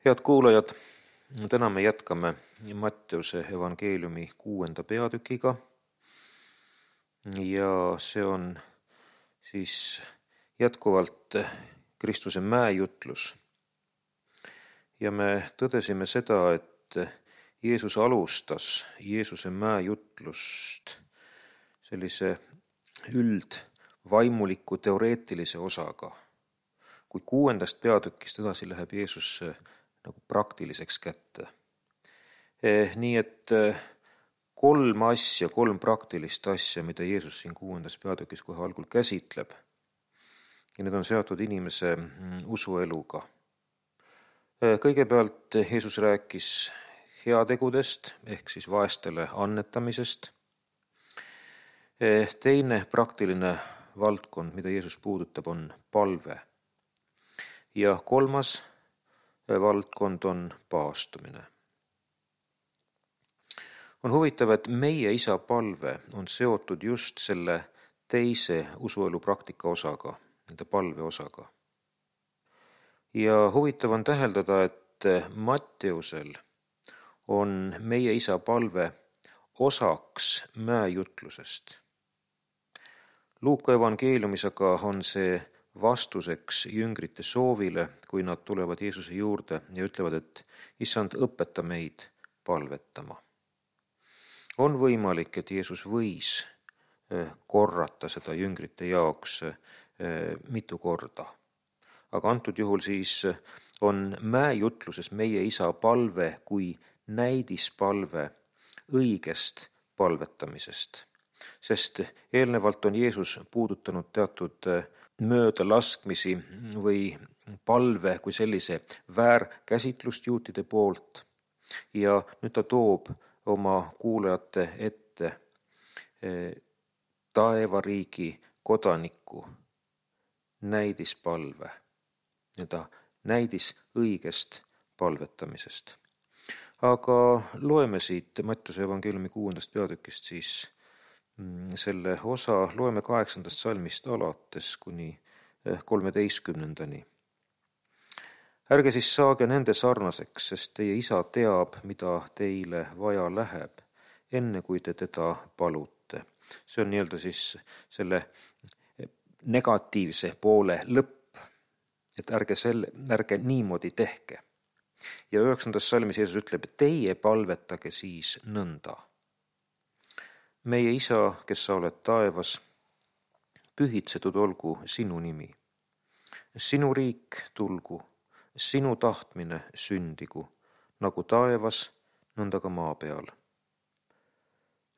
Head kuulajad, täna me jätkame Matteuse evangeeliumi 6. peatükiga ja see on siis jätkuvalt Kristuse mäejutlus. Ja me tõdesime seda, et Jeesus alustas Jeesuse mäejutlust sellise üldvaimuliku teoreetilise osaga, kui 6. peatükist edasi läheb Jeesus nagu praktiliseks kätte. Nii et kolm praktilist asja, mida Jeesus siin 6. peatükis kohe algul käsitleb, ja need on seotud inimese usueluga. Kõigepealt Jeesus rääkis heategudest ehk siis vaestele annetamisest. Teine praktiline valdkond, mida Jeesus puudutab, on palve. Ja kolmas valdkond on paastumine. On huvitav, et meie Isa palve on seotud just selle teise usuelu praktika osaga, nende palve osaga. Ja huvitav on täheldada, et Matteusel on meie Isa palve osaks mäejutlusest. Luuka evangeeliumis aga on see vastuseks jüngrite soovile, kui nad tulevad Jeesuse juurde ja ütlevad, et Issand, õpeta meid palvetama. On võimalik, et Jeesus võis korrata seda jüngrite jaoks mitu korda. Aga antud juhul siis on mäejutluses meie Isa palve kui näidispalve õigest palvetamisest. Sest eelnevalt on Jeesus puudutanud teatud möödalaskmisi või palve kui sellise väärkäsitlust juutide poolt ja nüüd ta toob oma kuulajate ette taevariigi kodaniku näidispalve, näidis õigest palvetamisest. Aga loeme siit Matteuse evangeeliumi 6. peatükist siis selle osa, loeme 8. salmist alates kuni 13. Ärge siis saage nende sarnaseks, sest teie Isa teab, mida teile vaja läheb, enne kui te teda palute. See on nii-öelda siis selle negatiivse poole lõpp, et ärge niimoodi tehke. Ja 9. salmis Jeesus ütleb, et teie palvetage siis nõnda. Meie Isa, kes sa oled taevas, pühitsetud olgu sinu nimi. Sinu riik tulgu, sinu tahtmine sündigu, nagu taevas, nõnda ka maa peal.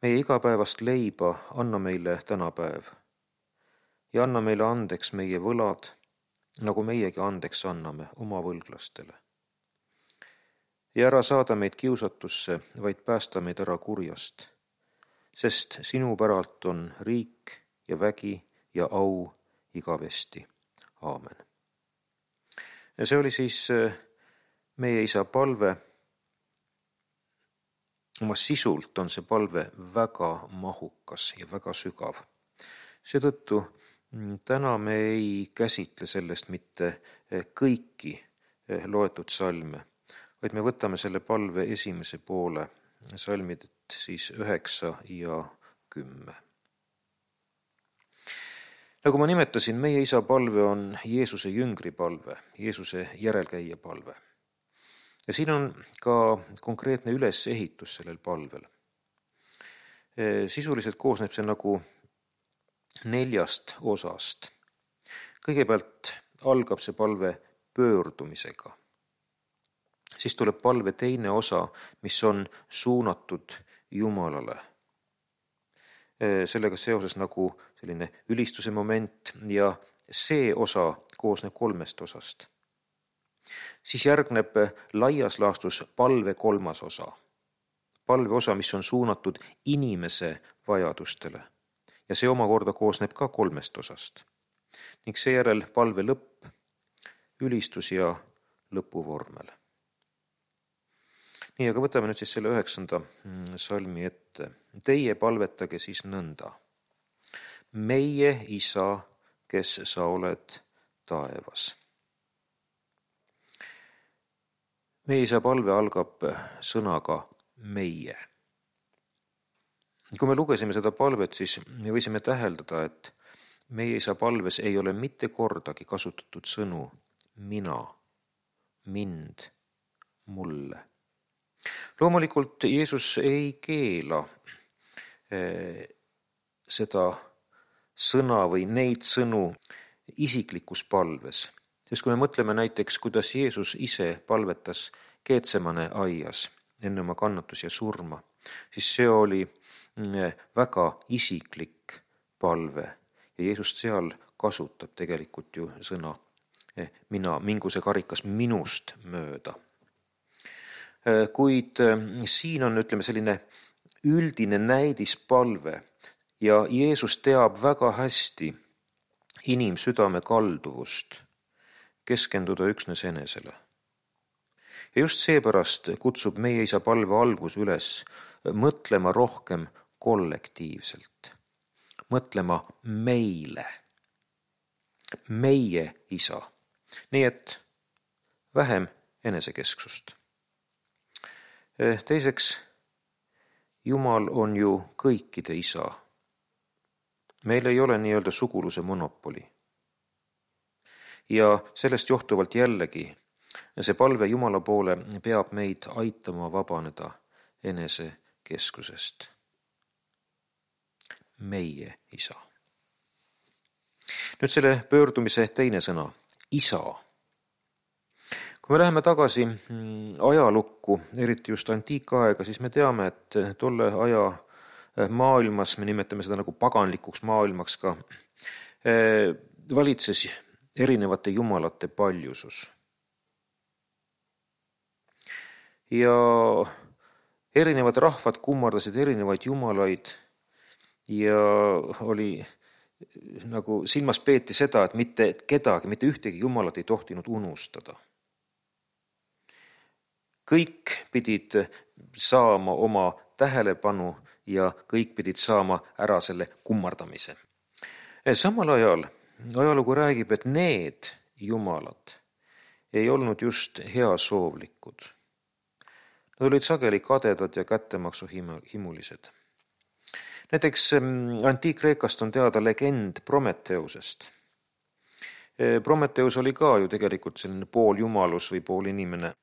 Meie igapäevast leiba anna meile tänapäev ja anna meile andeks meie võlad, nagu meiegi andeks anname oma võlglastele. Ja ära saada meid kiusatusse, vaid päästa meid ära kurjast, sest sinu päralt on riik ja vägi ja au igavesti. Aamen. Ja see oli siis meie Isa palve. Oma sisult on see palve väga mahukas ja väga sügav. Seetõttu täna me ei käsitle sellest mitte kõiki loetud salme, vaid me võtame selle palve esimese poole, salmid siis 9 ja 10. Nagu ma nimetasin, meie Isa palve on Jeesuse jüngri palve, Jeesuse järelkäija palve. Ja siin on ka konkreetne ülesehitus sellel palvel. Sisuliselt koosneb see nagu 4 osast. Kõigepealt algab see palve pöördumisega. Siis tuleb palve teine osa, mis on suunatud Jumalale. Sellega seoses nagu selline ülistuse moment ja see osa koosneb 3 osast. Siis järgneb laias laastus palve 3. osa. Palve osa, mis on suunatud inimese vajadustele. Ja see omakorda koosneb ka 3 osast. Ning seejärel palve lõpp, ülistus ja lõpuvormel. Nii, aga võtame nüüd siis selle 9. salmi ette. Teie palvetage siis nõnda. Meie Isa, kes sa oled taevas. meie isa palve algab sõnaga meie. Kui me lugesime seda palvet, siis me võisime täheldada, et meie isa palves ei ole mitte kordagi kasutatud sõnu mina, mind, mulle. Loomulikult Jeesus ei keela seda sõna või neid sõnu isiklikus palves. Sest kui me mõtleme näiteks, kuidas Jeesus ise palvetas Getsemane aias enne oma kannatusi ja surma, siis see oli väga isiklik palve ja Jeesus seal kasutab tegelikult ju sõna mina, mingu see karikas minust mööda. Kuid siin on, selline üldine näidispalve ja Jeesus teab väga hästi inimsüdame kalduvust keskenduda üksnes enesele. Ja just seepärast kutsub meie isa palve algus üles mõtlema rohkem kollektiivselt, mõtlema meile, meie isa, nii et vähem enesekesksust. Teiseks, Jumal on ju kõikide isa. Meil ei ole nii-öelda suguluse monopoli. Ja sellest johtuvalt jällegi see palve Jumala poole peab meid aitama vabaneda enesekeskusest. Meie isa. Nüüd selle pöördumise teine sõna, isa. Kui me läheme tagasi ajalukku, eriti just antiikaega, siis me teame, et tolle aja maailmas, me nimetame seda nagu paganlikuks maailmaks ka, valitses erinevate jumalate paljusus. Ja erinevad rahvad kummardasid erinevaid jumalaid ja oli nagu silmas peeti seda, et mitte kedagi, mitte ühtegi jumalat ei tohtinud unustada. Kõik pidid saama oma tähelepanu ja kõik pidid saama ära selle kummardamise. Samal ajal ajalugu räägib, et need jumalad ei olnud just heasoovlikud. Nad olid sageli kadedad ja kättemaksuhimulised. Näiteks Antiik-Kreekast on teada legend Prometheusest. Prometheus oli ka ju tegelikult selline pool jumalus või pool inimene.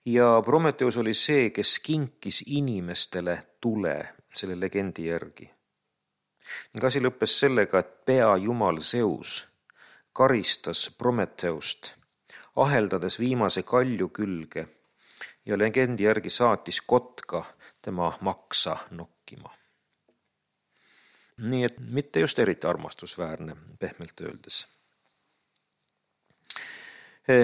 Ja Prometheus oli see, kes kinkis inimestele tule selle legendi järgi. Ning asi lõppes sellega, et peajumal Zeus karistas Prometheust, aheldades viimase kalju külge ja legendi järgi saatis kotka tema maksa nokkima. Nii et mitte just eriti armastusväärne, pehmelt öeldes.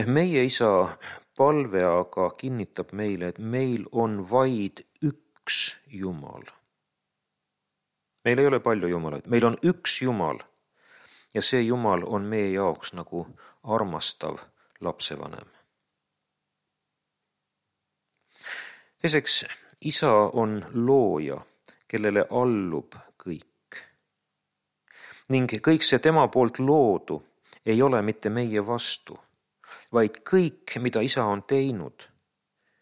Meie isa palve aga kinnitab meile, et meil on vaid üks Jumal. Meil ei ole palju jumalaid, meil on üks Jumal ja see Jumal on meie jaoks nagu armastav lapsevanem. Teiseks, isa on looja, kellele allub kõik. Ning kõik see tema poolt loodu ei ole mitte meie vastu, vaid kõik, mida isa on teinud,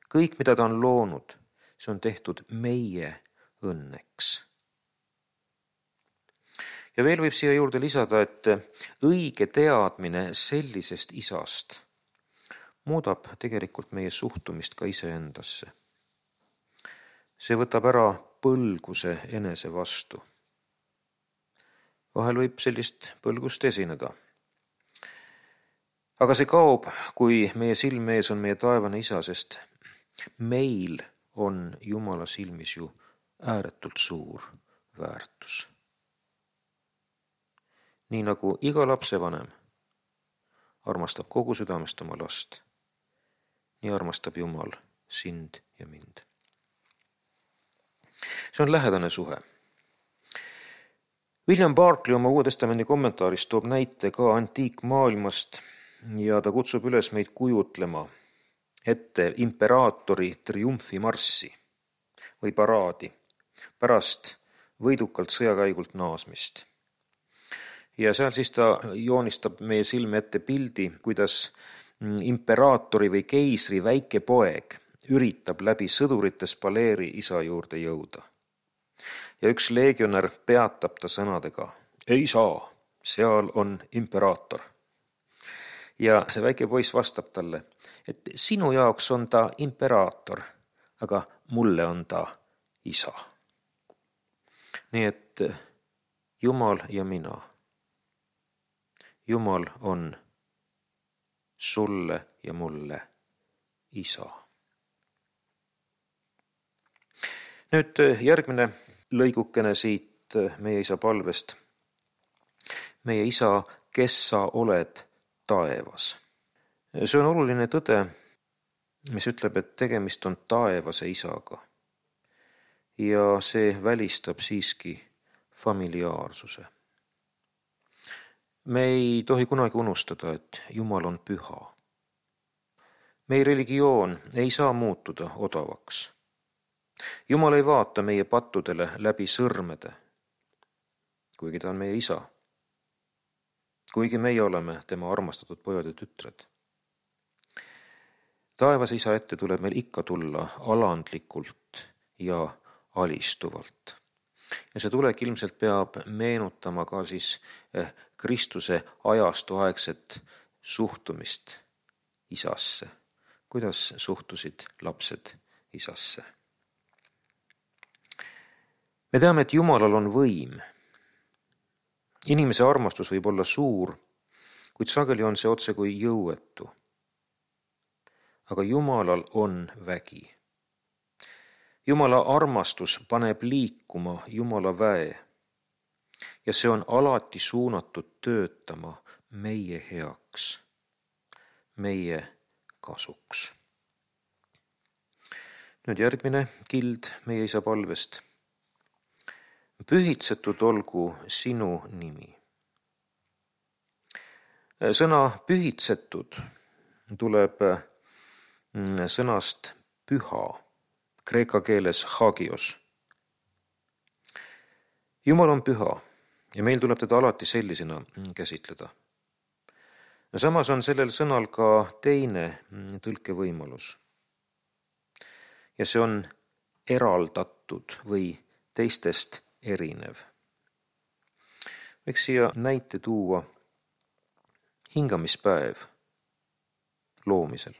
kõik, mida ta on loonud, see on tehtud meie õnneks. Ja veel võib siia juurde lisada, et õige teadmine sellisest isast muudab tegelikult meie suhtumist ka iseendasse. See võtab ära põlguse enese vastu. Vahel võib sellist põlgust esineda. Aga see kaob, kui meie silme ees on meie taevane isa, sest meil on Jumala silmis ju ääretult suur väärtus. Nii nagu iga lapsevanem armastab kogu südamest oma last, nii armastab Jumal sind ja mind. See on lähedane suhe. William Barclay oma Uue Testamendi kommentaaris toob näite ka antiikmaailmast ja ta kutsub üles meid kujutlema ette imperaatori triumfimarssi või paraadi pärast võidukalt sõjakäigult naasmist. Ja seal siis ta joonistab meie silme ette pildi, kuidas imperaatori või keisri väike poeg üritab läbi sõdurite spaleeri isa juurde jõuda. Ja üks leegionär peatab ta sõnadega: ei saa, seal on imperaator. Ja see väike poiss vastab talle, et sinu jaoks on ta imperaator, aga mulle on ta isa. Nii et Jumal ja mina. Jumal on sulle ja mulle isa. Nüüd järgmine lõigukene siit meie isa palvest. Meie isa, kes sa oled taevas. See on oluline tõde, mis ütleb, et tegemist on taevase isaga. Ja see välistab siiski familiaarsuse. Me ei tohi kunagi unustada, et Jumal on püha. Meie religioon ei saa muutuda odavaks. Jumal ei vaata meie pattudele läbi sõrmede, kuigi ta on meie isa. Kuigi meie oleme tema armastatud pojad ja tütred. Taevase isa ette tuleb meil ikka tulla alandlikult ja alistuvalt. Ja see tulek ilmselt peab meenutama ka siis Kristuse ajastu aegset suhtumist isasse. Kuidas suhtusid lapsed isasse? Me teame, et Jumalal on võim. Inimese armastus võib olla suur, kuid sageli on see otse kui jõuetu. Aga Jumalal on vägi. Jumala armastus paneb liikuma Jumala väe ja see on alati suunatud töötama meie heaks, meie kasuks. Nüüd järgmine kild meie isa palvest. Pühitsetud olgu sinu nimi. Sõna pühitsetud tuleb sõnast püha, kreeka keeles hagios. Jumal on püha ja meil tuleb teda alati sellisena käsitleda. Samas on sellel sõnal ka teine tõlkevõimalus. Ja see on eraldatud või teistest erinev. Võiks siia näite tuua hingamispäev loomisel.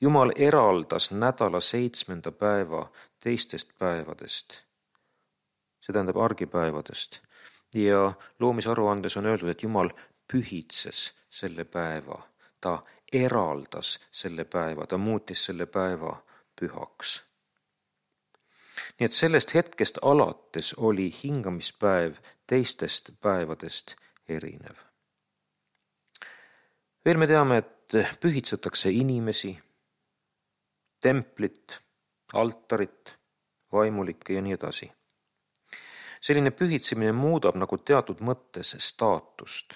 Jumal eraldas nädala 7. päeva teistest päevadest, see tähendab argipäevadest, ja loomisaruandes on öeldud, et Jumal pühitses selle päeva, ta eraldas selle päeva, ta muutis selle päeva pühaks. Nii et sellest hetkest alates oli hingamispäev teistest päevadest erinev. Veel me teame, et pühitsetakse inimesi, templit, altarit, vaimulikke ja nii edasi. Selline pühitsemine muudab nagu teatud mõttes staatust.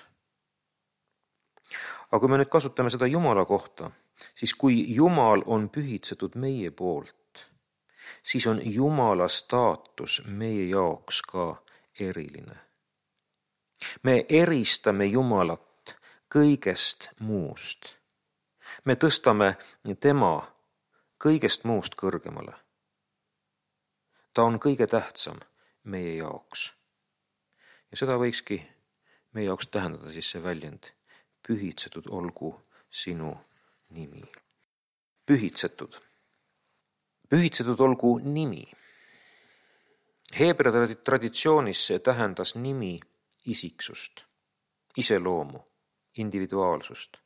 Aga kui me nüüd kasutame seda Jumala kohta, siis kui Jumal on pühitsetud meie poolt, siis on Jumala staatus meie jaoks ka eriline. Me eristame Jumalat kõigest muust. Me tõstame tema kõigest muust kõrgemale. Ta on kõige tähtsam meie jaoks. Ja seda võikski meie jaoks tähendada siis see väljend: pühitsetud olgu sinu nimi. Pühitsetud. Pühitsetud olgu nimi. Heebrea traditsioonis see tähendas nimi isiksust, iseloomu, individuaalsust.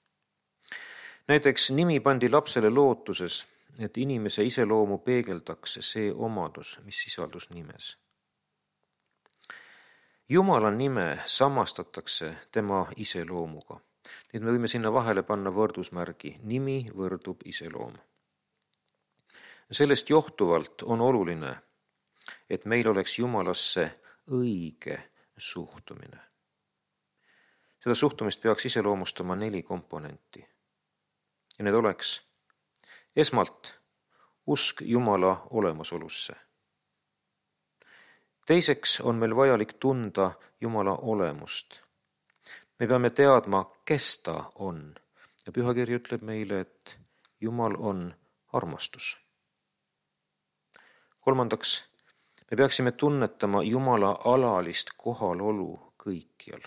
Näiteks nimi pandi lapsele lootuses, et inimese iseloomu peegeldaks see omadus, mis sisaldus nimes. Jumala nime samastatakse tema iseloomuga. Nüüd me võime sinna vahele panna võrdusmärgi: nimi võrdub iseloom. Sellest johtuvalt on oluline, et meil oleks Jumalasse õige suhtumine. Seda suhtumist peaks iseloomustama 4 komponenti. Ja need oleks esmalt usk Jumala olemasolusse. Teiseks on meil vajalik tunda Jumala olemust. Me peame teadma, kes ta on Ja pühakiri ütleb meile, et Jumal on armastus. Kolmandaks, me peaksime tunnetama Jumala alalist kohalolu kõikjal.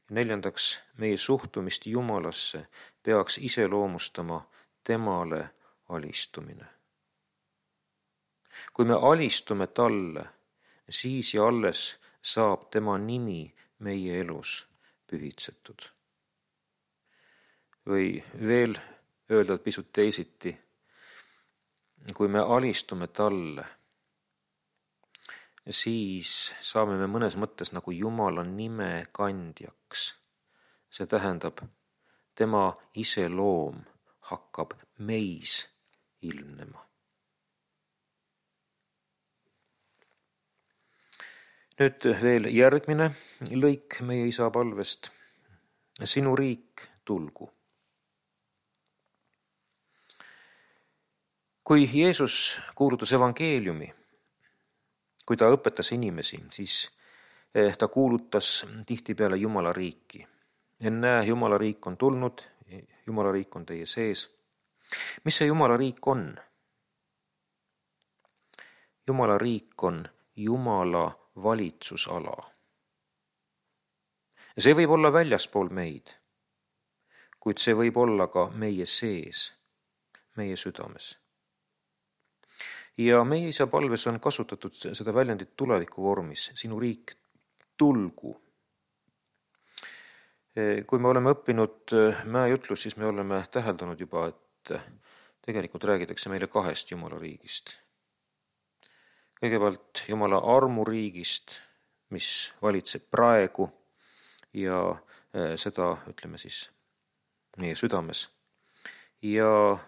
Ja neljandaks, meie suhtumist Jumalasse peaks iseloomustama temale alistumine. Kui me alistume talle, siis ja alles saab tema nimi meie elus pühitsetud. Või veel öelda pisut teisiti, kui me alistume talle, siis saame me mõnes mõttes nagu Jumala nime kandjaks. See tähendab, tema iseloom hakkab meis ilmnema. Nüüd veel järgmine lõik meie isa palvest. Sinu riik tulgu. Kui Jeesus kuulutas evangeeliumi, kui ta õpetas inimesi, siis ta kuulutas tihtipeale Jumala riiki. Ennäe, Jumala riik on tulnud, Jumala riik on teie sees. Mis see Jumala riik on? Jumala riik on Jumala valitsusala. See võib olla väljaspool meid, kuid see võib olla ka meie sees, meie südames. Ja meie isa palves on kasutatud seda väljendit tuleviku vormis, sinu riik tulgu. Kui me oleme õppinud mäejutlust, siis me oleme täheldanud juba, et tegelikult räägitakse meile kahest Jumala riigist. Kõigepealt Jumala armuriigist, mis valitseb praegu ja seda ütleme siis meie südames. Ja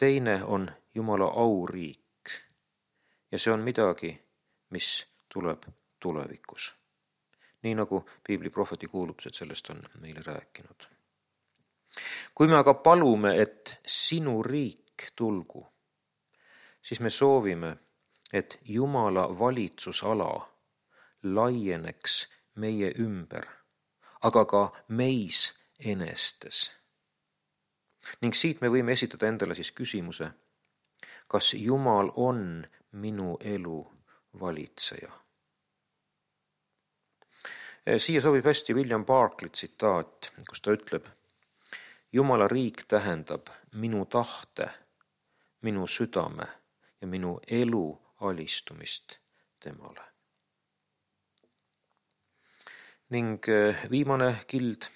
teine on Jumala auriik. Ja see on midagi, mis tuleb tulevikus. Nii nagu Piibli prohveti kuulutused sellest on meile rääkinud. Kui me aga palume, et sinu riik tulgu, siis me soovime, et Jumala valitsusala laieneks meie ümber, aga ka meis enestes. Ning siit me võime esitada endale siis küsimuse, kas Jumal on minu elu valitseja? Siia sobib hästi William Barclay tsitaat, kus ta ütleb, Jumala riik tähendab minu tahte, minu südame ja minu elu alistumist temale. Ning viimane kild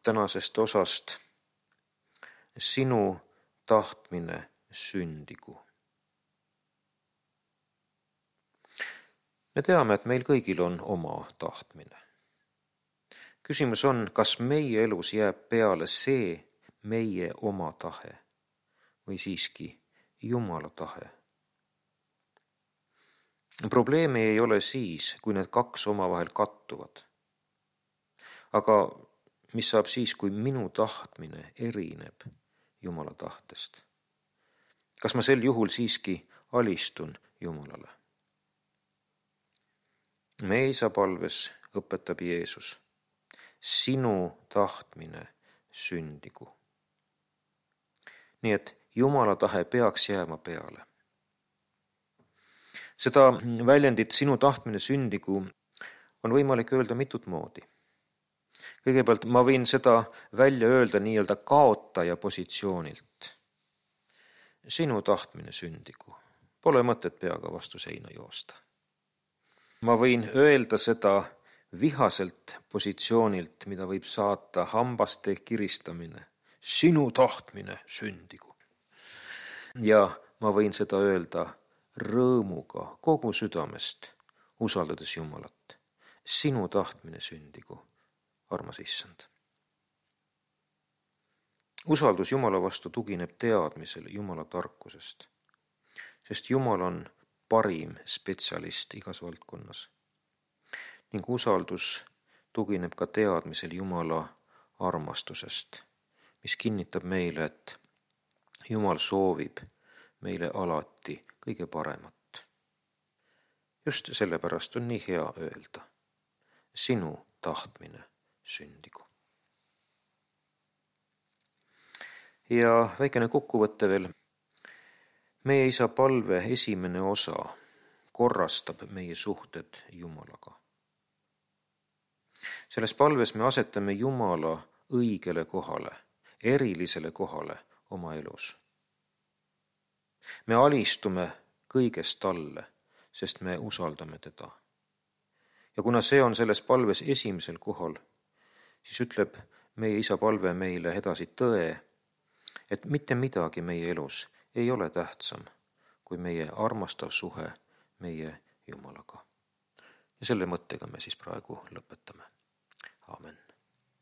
tänasest osast, sinu tahtmine sündigu. Me teame, et meil kõigil on oma tahtmine. Küsimus on, kas meie elus jääb peale see meie oma tahe või siiski Jumala tahe. Probleemi ei ole siis, kui need kaks omavahel kattuvad. Aga mis saab siis, kui minu tahtmine erineb Jumala tahtest? Kas ma sel juhul siiski alistun Jumalale? Meie isa palves õpetab Jeesus, sinu tahtmine sündigu. Nii et Jumala tahe peaks jääma peale. Seda väljendit sinu tahtmine sündigu on võimalik öelda mitut moodi. Kõigepealt ma võin seda välja öelda nii-öelda kaotaja positsioonilt. Sinu tahtmine sündigu. Pole mõtet peaga vastu seina joosta. Ma võin öelda seda vihaselt positsioonilt, mida võib saata hambaste kiristamine. Sinu tahtmine sündigu. Ja ma võin seda öelda rõõmuga kogu südamest, usaldades Jumalat. Sinu tahtmine sündigu, armas issand. Usaldus Jumala vastu tugineb teadmisel Jumala tarkusest, sest Jumal on parim spetsialist igas valdkonnas. Ning usaldus tugineb ka teadmisel Jumala armastusest, mis kinnitab meile, et Jumal soovib meile alati kõige paremat. Just sellepärast on nii hea öelda, sinu tahtmine sündigu. Ja väikene kokkuvõte veel. Meie Isa palve esimene osa korrastab meie suhted Jumalaga. Selles palves me asetame Jumala õigele kohale, erilisele kohale oma elus. Me alistume kõigest talle, sest me usaldame teda. Ja kuna see on selles palves esimesel kohal, siis ütleb meie Isa palve meile edasi tõe, et mitte midagi meie elus ei ole tähtsam kui meie armastav suhe meie Jumalaga. Ja selle mõttega me siis praegu lõpetame. Aamen.